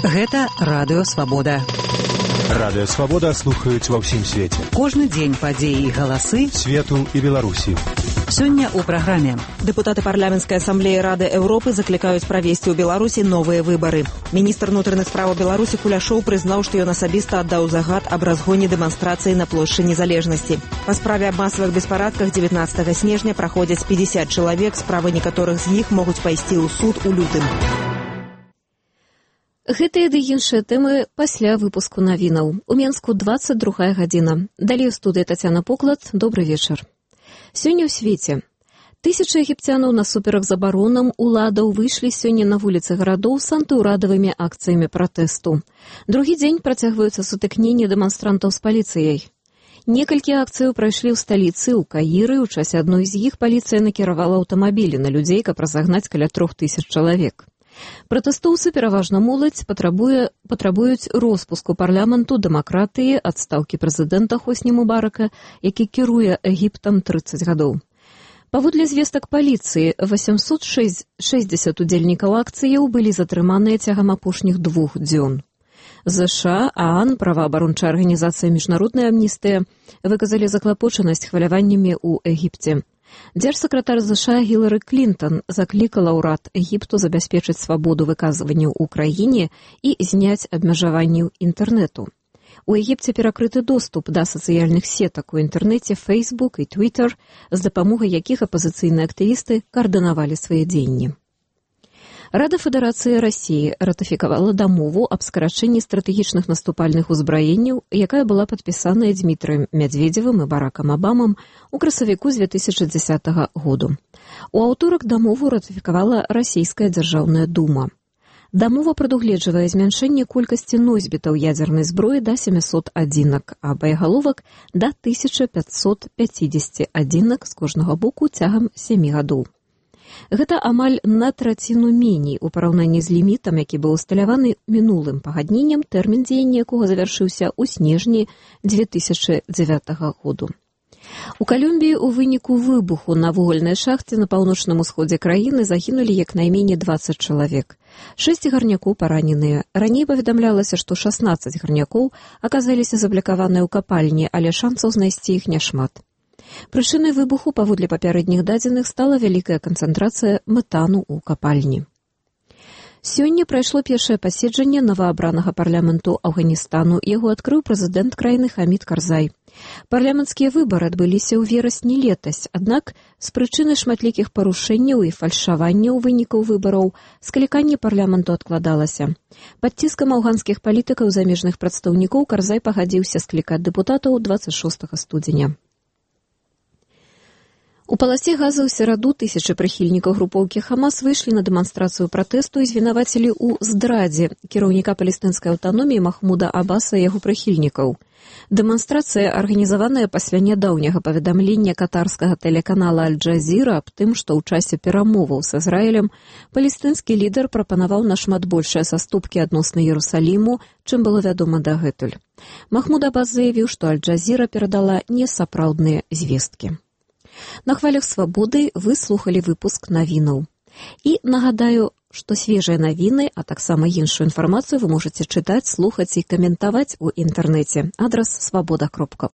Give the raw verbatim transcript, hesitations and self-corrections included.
Гэта Радыё Свабода. Радыё Свабода слухаюць ва ўсім свеце. Кожны дзень падзеі і галасы свету і Беларусі. Сёння ў праграме. Дэпутаты парламенцкай асамблеі Рады Еўропы заклікаюць правесці ў Беларусі новыя выбары. Міністр унутраных спраў Беларусі Куляшоў прызнаў, што ён асабіста аддаў загад аб разгоне дэманстрацыі на плошчы Незалежнасці. Па справе аб масавых беспарадках дзевятнаццатага снежня праходзяць пятьдесят чалавек, справы некаторых з іх могуць пайсці ў суд у лютым. Гэтыя ды іншыя тэмы пасля выпуску навінаў. У Менску двадцать другая гадзіна. Далей у студыі Тацяна Поклад. Добры вечар. Сёння ў свеце. Тысячы егіпцянаў насуперак забаронам уладаў выйшлі сёння на вуліцы гарадоў з антыўрадавымі акцыямі пратэсту. Другі дзень працягваюцца сутыкненні дэманстрантаў з паліцыяй. Некалькі акцыяў прайшлі ў сталіцы, ў Каіры. У часе адной з іх паліцыя накіравала аўтамабілі на людзей, каб разагнаць каля трох тысяч чалавек. Пратэстоўцы, пераважна моладзь, патрабуе, патрабуюць роспуску парламенту, дэмакратыі, адстаўкі прэзідэнта Хосні Мубарака, які кіруе Егіптам трыццаць гадоў. Паводле звестак паліцыі, восемьсот шестьдесят удзельнікаў акцыяў былі затрыманыя цягам апошніх двух дзён. ЗША, ААН, праваабарончая арганізацыя міжнародная амністыя выказалі заклапочанасць хваляваннямі ў Егіпце. Дзяржсакратар ЗША Гілары Клінтон заклікала ўрад Егіпту забяспечыць свабоду выказванняў у краіне і зняць абмежаванні інтэрнэту. У Егіпце перакрыты доступ да сацыяльных сетак у інтэрнэце Facebook і Twitter, з дапамогай якіх апазіцыйныя актывісты каардынавалі свае дзеянні. Рада Федэрацыі Расіі ратыфікавала дамову аб скарачэнні стратэгічных наступальных узбраенняў, якая была падпісаная Дмітрыем Мядзведзевым і Баракам Абамам у красавіку з две тысячы дзесятага году. У аўторак дамову ратыфікавала Расійская дзяржаўная дума. Дамова прадугледжвае змяншэнне колькасці носьбітаў ядзернай зброі да семьсот адзінак, а баягаловак да тысяча пятьсот пятьдесят адзінак з кожнага боку цягам сямі гадоў. Гэта амаль на траціну меней у параўнанні з лімітам, які быў усталяваны мінулым пагадненнем, тэрмін дзеяння якога завяршыўся ў снежні две тысячы дзевятага году. У Калумбіі ў выніку выбуху на вугальнай шахце на паўночным усходзе краіны загінулі як найменей двадцать чалавек. Шэсць гарнякоў параненыя. Раней паведамлялася, што шаснаццаць гарнякоў аказаліся заблакаваныя ў капальні, але шансаў знайсці іх няшмат. Прычынай выбуху, паводле папярэдніх дадзеных, стала вялікая канцэнтрацыя метану ў капальні. Сёння прайшло першае паседжанне новаабранага парламенту Афганістану. Яго адкрыў прэзідэнт краіны Хамід Карзай. Парламенцкія выбары адбыліся ў верасні летась, аднак з прычыны шматлікіх парушэнняў і фальшаванняў вынікаў выбараў скліканне парламенту адкладалася. Пад ціскам афганскіх палітыкаў замежных прадстаўнікоў Карзай пагадзіўся склікаць дэпутатаў двадцать шостага студзеня. У паласе газа ў сераду тысячы прыхільнікаў групоўкі Хамас выйшлі на дэманстрацыю пратэсту і звінавацілі ў здрадзе кіраўніка палестынскай аўтаноміі Махмуда Аббаса і яго прыхільнікаў. Дэманстрацыя арганізаваная пасля нядаўняга паведамлення катарскага тэлеканала Аль-Джазіра аб тым, што ў часе перамоваў з Ізраілем палестынскі лідар прапанаваў нашмат большыя саступкі адносна Іерусаліму, чым было вядома дагэтуль. Махмуд Аббас заявіў, што Аль-Джазіра перадала несапраўдныя звесткі. На хвалях свабоды вы слухалі выпуск навінаў. І нагадаю, што свежыя навіны, а таксама іншую інфармацыю вы можаце чытаць, слухаць і каментаваць у інтэрнэце. Адрас свабода кропка